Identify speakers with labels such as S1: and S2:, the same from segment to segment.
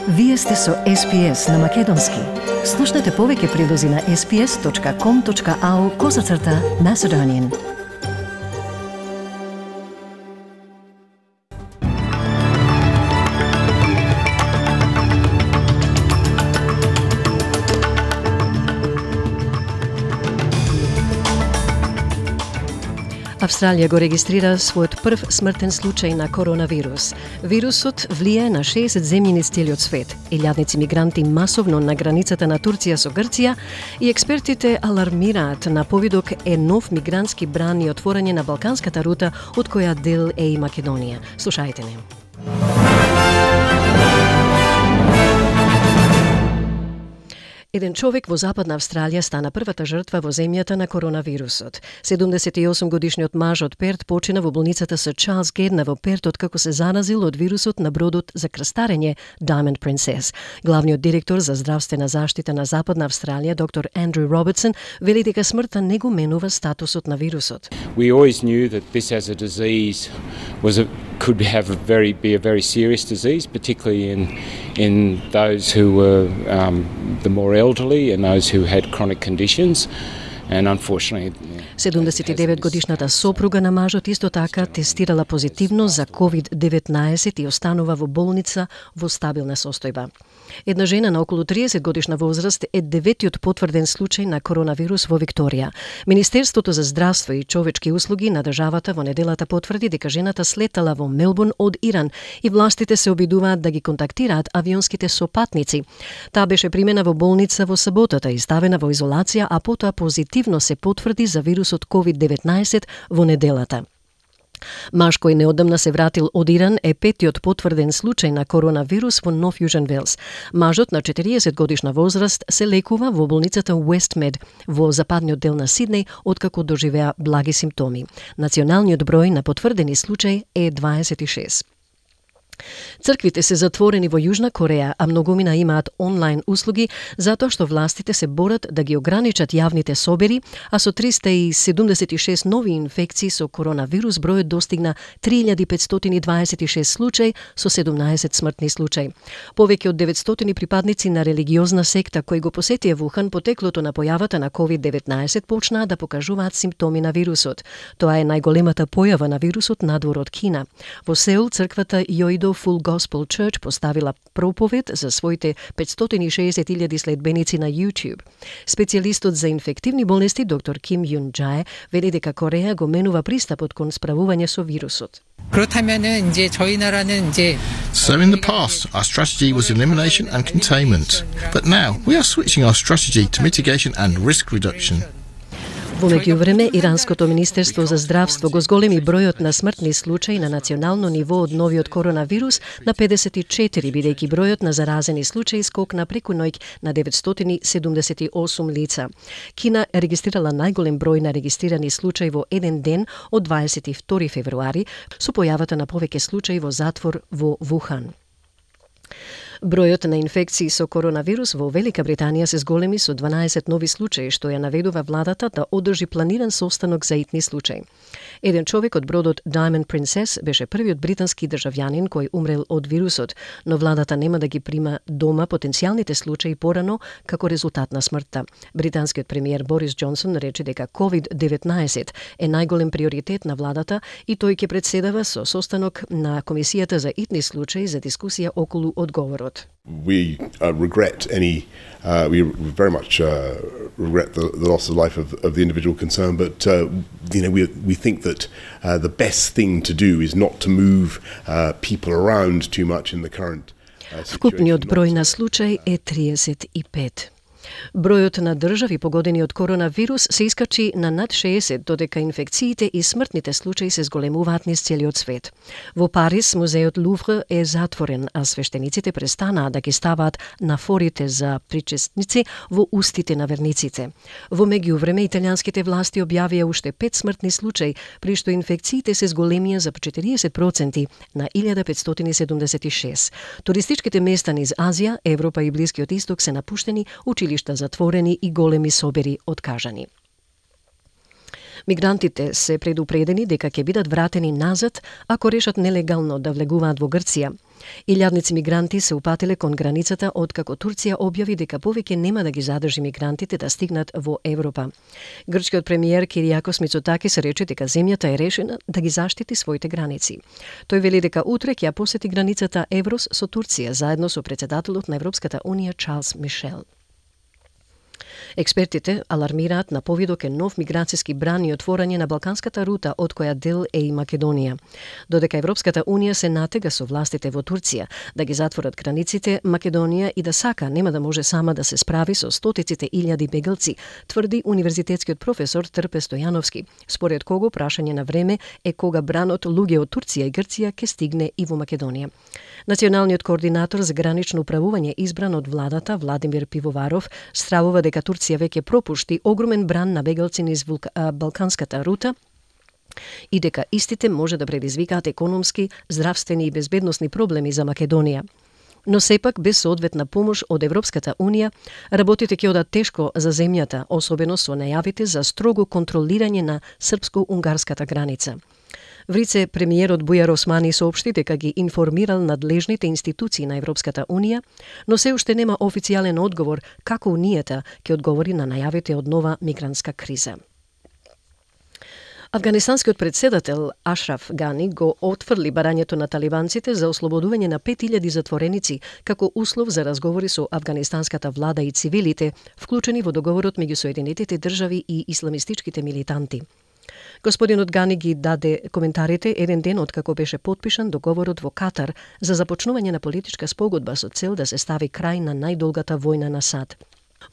S1: Вие сте со SPS на Македонски. Слушнете повеќе прилози на sps.com.au/Macedonian. Австралија го регистрира својот прв смртен случај на коронавирус. Вирусот влие на 60 земји низ целиот свет. Илјадници мигранти масовно на границата на Турција со Грција и експертите алармираат на повидок е нов мигрантски бран и отворање на балканската рута од која дел е и Македонија. Слушајте не. Еден човек во Западна Австралија стана првата жртва во земјата на коронавирусот. 78-годишниот маж од Перт почина во болницата со Чарлс Гедна во Перт откако се заразил од вирусот на бродот за крстарење Diamond Princess. Главниот директор за здравствена заштита на Западна Австралија, доктор Андрю Робертсон, вели дека смртта не го менува статусот на вирусот.
S2: We always knew that this as a disease could be a very serious disease, particularly in those who were the more elderly and those who had chronic conditions. And unfortunately,
S1: 79-годишната сопруга на мажот исто така тестирала позитивно за COVID-19 и останува во болница во стабилна состојба. Една жена на околу 30 годишна возраст е деветиот потврден случај на коронавирус во Викторија. Министерството за здравство и човечки услуги на државата во неделата потврди дека жената слетала во Мелбурн од Иран и властите се обидуваат да ги контактираат авионските сопатници. Таа беше примена во болница во саботата и ставена во изолација, а потоа позитивно се потврди за вирусот COVID-19 во неделата. Маж кој неодамна се вратил од Иран е петиот потврден случај на коронавирус во Нов Јужен Велс. Мажот на 40 годишна возраст се лекува во болницата Westmed во западниот дел на Сиднеј откако доживеа благи симптоми. Националниот број на потврдени случаи е 26. Црквите се затворени во Јужна Кореја, а многумина имаат онлайн услуги затоа што властите се борат да ги ограничат јавните собери, а со 376 нови инфекции со коронавирус бројот достигна 3526 случаи со 17 смртни случаи. Повеќе од 900 припадници на религиозна секта кои го посетија Вухан потеклото на појавата на COVID-19 почнаа да покажуваат симптоми на вирусот. Тоа е најголемата појава на вирусот надвор од Кина. Во Сеул црквата Yoido Full Gospel Church поставила проповед за своите 560,000 следбеници на YouTube. Специјалистот за инфективни болести доктор Ким Юн Джаe вели дека Кореја го менува пристапот кон справување со вирусот.
S3: So in the past, our strategy was elimination and containment. But now, we are switching our strategy to mitigation and risk reduction.
S1: Во меѓувреме, Иранското министерство за здравство го зголеми бројот на смртни случаи на национално ниво од новиот коронавирус на 54, бидејќи бројот на заразени случаи скокна преку ноќ на 978 лица. Кина регистрирала најголем број на регистрирани случаи во еден ден од 22 февруари со појавата на повеќе случаи во затвор во Вухан. Бројот на инфекции со коронавирус во Велика Британија се зголеми со 12 нови случаи, што ја наведува владата да одржи планиран состанок за итни случаи. Еден човек од бродот Diamond Princess беше првиот британски државјанин кој умрел од вирусот, но владата нема да ги прима дома потенцијалните случаи порано како резултат на смртта. Британскиот премиер Борис Џонсон рече дека COVID-19 е најголем приоритет на владата и тој ќе председава со состанок на Комисијата за итни случаи за дискусија околу одговорот.
S4: We regret we very much regret the loss of life of the individual concerned, but we think that the best thing to do is not to move people around too much in the current situation.
S1: Вкупниот број на случаи е 35. Бројот на држави погодени од коронавирус се искачи на над 60, додека инфекциите и смртните случаи се зголемуваат низ целиот свет. Во Париз, музеот Лувр е затворен, а свештениците престанаа да ги ставаат нафорите за причесници во устите на верниците. Во меѓувреме, италијанските власти објавија уште 5 смртни случаи, при што инфекциите се зголемија за 40% на 1576. Туристичките места низ Азија, Европа и Блискиот Исток се напуштени, училишта затворени и големи собери откажани. Мигрантите се предупредени дека ќе бидат вратени назад ако решат нелегално да влегуваат во Грција. Илјадници мигранти се упатиле кон границата откако Турција објави дека повеќе нема да ги задржи мигрантите да стигнат во Европа. Грчкиот премиер Кириакос Мицотакис рече дека земјата е решена да ги заштити своите граници. Тој вели дека утре ќе ја посети границата Еврос со Турција заедно со председателот на Европската унија Чарлс Мишел. Експертите алармираат на повидок е нов миграцијски бран и отворање на балканската рута од која дел е и Македонија. Додека Европската унија се натега со властите во Турција да ги затворат границите, Македонија и да сака нема да може сама да се справи со стотиците илјади бегалци, тврди универзитетскиот професор Трпе Стојановски, според кого прашање на време е кога бранот луѓе од Турција и Грција ќе стигне и во Македонија. Националниот координатор за гранично управување избран од владата Владимир Пивоваров стравува дека Турција веќе пропушти огромен бран на бегалци низ балканската рута и дека истите може да предизвикаат економски, здравствени и безбедносни проблеми за Македонија. Но сепак, без соодветна помош од Европската унија, работите ќе одат тешко за земјата, особено со најавите за строго контролирање на српско-унгарската граница. Врице премиерот Бујар Османи соопшти дека ги информирал надлежните институции на Европската унија, но се уште нема официјален одговор како унијата ќе одговори на најавите од нова мигрантска криза. Афганистанскиот председател Ашраф Гани го отфрли барањето на талибанците за ослободување на 5000 затвореници како услов за разговори со афганистанската влада и цивилите, вклучени во договорот меѓу Соединетите држави и исламистичките милитанти. Господинот Гани ги даде коментарите еден ден откако беше потпишан договорот во Катар за започнување на политичка спогодба со цел да се стави крај на најдолгата војна на САД.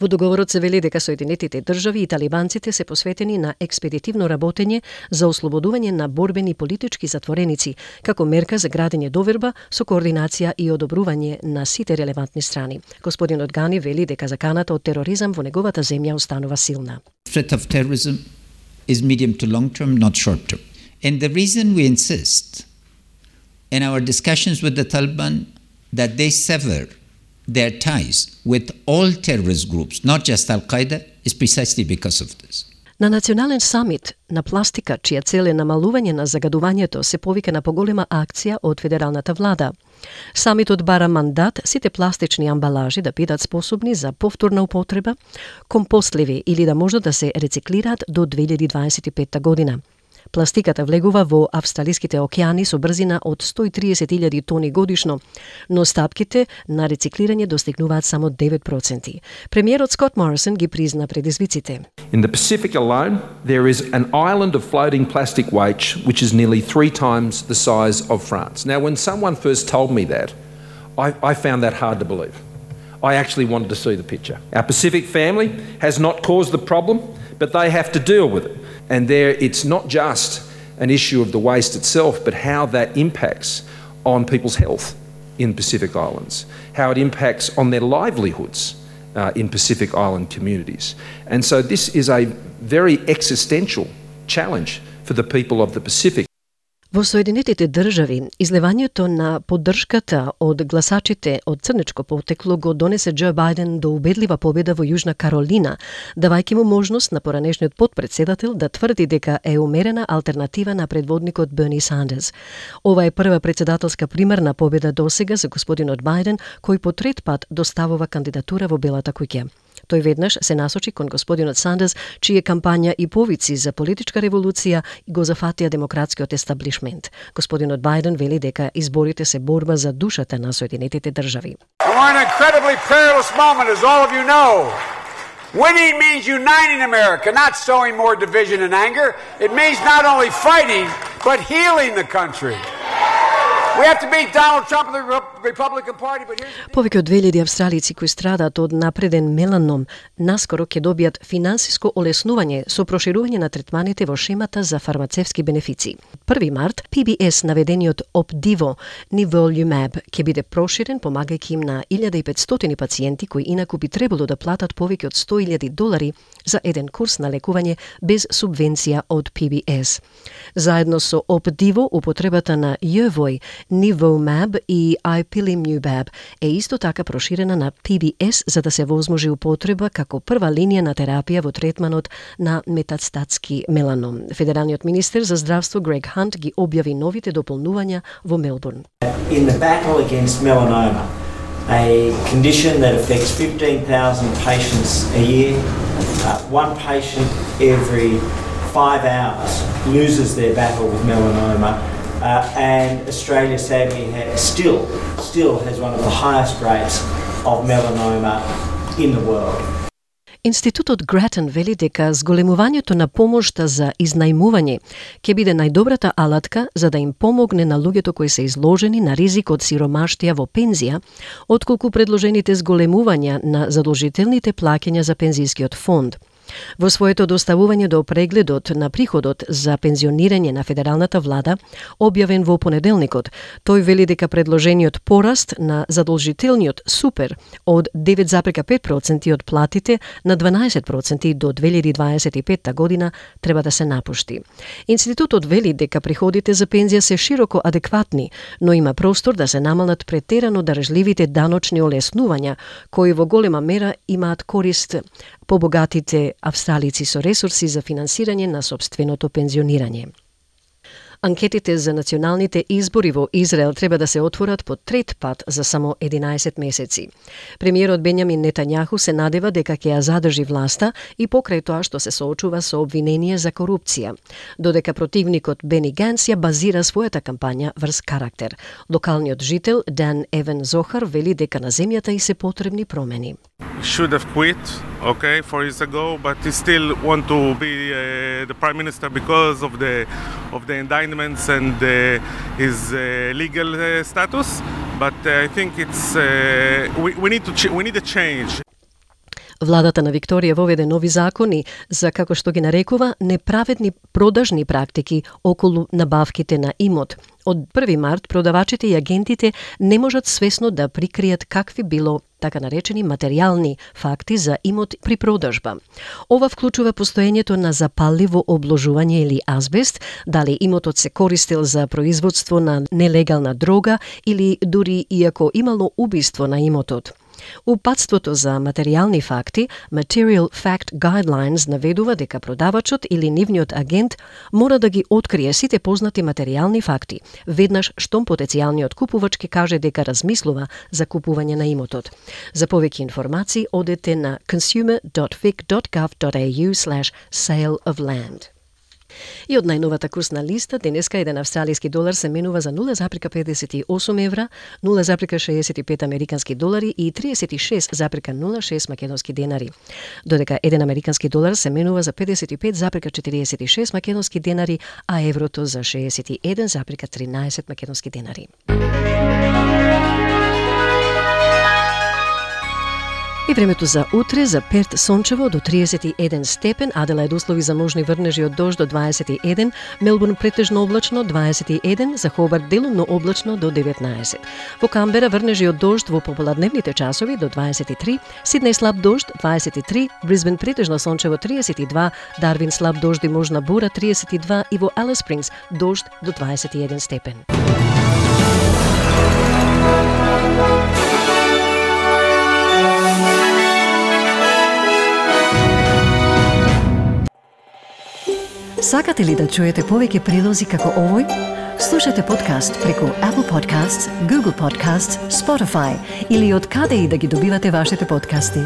S1: Во договорот се вели дека Соединетите држави и талибанците се посветени на експедитивно работење за ослободување на борбени политички затвореници, како мерка за градење доверба со координација и одобрување на сите релевантни страни. Господинот Гани вели дека заканата од тероризам во неговата земја останува силна.
S5: Threat of terrorism is medium to long term, not short term. And the reason we insist in our discussions with the Taliban that they sever their ties with all terrorist groups, not just Al-Qaeda, is precisely because of this.
S1: На национален самит на пластика, чија цел е намалување на загадувањето, се повика на поголема акција од федералната влада. Самитот бара мандат сите пластични амбалажи да бидат способни за повторна употреба, компостливи или да можат да се рециклираат до 2025 година. Пластиката влегува во австралиските океани со брзина од 130.000 тони годишно, но стапките на рециклирање достигнуваат само 9%. Премиерот Скот Морисон ги призна предизвиците.
S6: In the Pacific alone, there is an island of floating plastic waste which is nearly 3 times the size of France. Now, when someone first told me that, I found that hard to believe. I actually wanted to see the picture. Our Pacific family has not caused the problem, but they have to deal with it. And there, it's not just an issue of the waste itself, but how that impacts on people's health in Pacific Islands, how it impacts on their livelihoods in Pacific Island communities. And so this is a very existential challenge for the people of the Pacific.
S1: Во Соединетите држави, излевањето на поддршката од гласачите од црнечко потекло го донесе Џо Бајден до убедлива победа во Јужна Каролина, давајќи му можност на поранешниот потпредседател да тврди дека е умерена алтернатива на предводникот Берни Сандерс. Ова е прва председателска примерна победа досега за господинот Бајден, кој по трет пат доставува кандидатура во Белата куќа. Тој веднаш се насочи кон господинот Сандерс, чија кампања и повици за политичка револуција го зафатија демократскиот естаблишмент. Господинот Бајден вели дека изборите се борба за душата на Соединетите држави.
S7: We're in an incredibly perilous moment, as all of you know. Winning means uniting America, not sowing more division and anger. It means not only fighting, but healing the country. We have to beat Donald Trump and the Republican Party, but here's the...
S1: Повеќе од 2000 австралици кои страдаат од напреден меланом наскоро ќе добијат финансиско олеснување со проширување на третманите во шемата за фармацевски бенефиции. 1 март PBS наведениот Opdivo Nivolumab ќе биде проширен, помагајќи им на 1500 пациенти кои инаку би требало да платат повеќе од $100,000 за еден курс на лекување без субвенција од PBS. Заедно со Opdivo, употребата на Јевој Nivolumab и Ipilimumab е исто така проширена на PBS за да се возможи употреба како прва линија на терапија во третманот на метастатски меланом. Федералниот министер за здравство Грег Хант ги објави новите дополнувања во Мелбурн.
S8: In the battle against melanoma, a condition that affects 15,000 patients a year, one patient every 5 hours loses their battle with melanoma, and Australia sadly still has one of the highest rates of melanoma in the world.
S1: Институтот Гратен вели дека зголемувањето на помошта за изнајмување ќе биде најдобрата алатка за да им помогне на луѓето кои се изложени на ризик од сиромаштија во пензија, отколку предложените зголемувања на задолжителните плаќања за пензискиот фонд. Во своето доставување до прегледот на приходот за пензионирање на федералната влада, објавен во понеделникот, тој вели дека предложениот пораст на задолжителниот супер од 9,5% од платите на 12% до 2025 година треба да се напушти. Институтот вели дека приходите за пензија се широко адекватни, но има простор да се намалат претерано дарежливите даночни олеснувања, кои во голема мера имаат корист побогатите австралици со ресурси за финансирање на собственото пензионирање. Анкетите за националните избори во Израел треба да се отворат по трет пат за само 11 месеци. Премиерот Бенјамин Нетањаху се надева дека ќе ја задржи власта и покрај тоа што се соочува со обвинение за корупција, додека противникот Бени Ганс ја базира својата кампања врз карактер. Локалниот жител Дан Евен Зохар вели дека на земјата и се потребни промени.
S9: Should have quit, 4 years ago, but he still want to be the prime minister because of the indictments and his legal status. But I think it's we need a change.
S1: Владата на Викторија воведе нови закони за, како што ги нарекува, неправедни продажни практики околу набавките на имот. Од 1 март продавачите и агентите не можат свесно да прикријат какви било така наречени материјални факти за имот при продажба. Ова вклучува постоењето на запалливо обложување или азбест, дали имотот се користел за производство на нелегална дрога или дури иако имало убиство на имотот. Упатството за материјални факти, Material Fact Guidelines, наведува дека продавачот или нивниот агент мора да ги открие сите познати материјални факти, веднаш штом потенцијалниот купувач ќе каже дека размислува за купување на имотот. За повеќе информации одете на consumer.vic.gov.au/sale of land. И од најновата курсна листа, денеска еден австралиски долар се менува за 0,58 евра, 0,65 американски долари и 36,06 македонски денари. Додека еден американски долар се менува за 55,46 македонски денари, а еврото за 61,13 македонски денари. И времето за утре, за Перт сончево до 31 степен, Аделаид услови за можни врнежи од дожд до 21, Мелбурн претежно облачно 21, за Хобарт делумно облачно до 19. Во Камбера врнежи од дожд во пополадневните часови до 23, Сиднеј слаб дожд 23, Брисбен претежно сончево 32, Дарвин слаб дожд и можна бура 32 и во Алис Спрингс дожд до 21 степен. Сакате ли да чуете повеќе прилози како овој? Слушате подкаст преку Apple Podcasts, Google Podcasts, Spotify или од каде и да ги добивате вашите подкасти.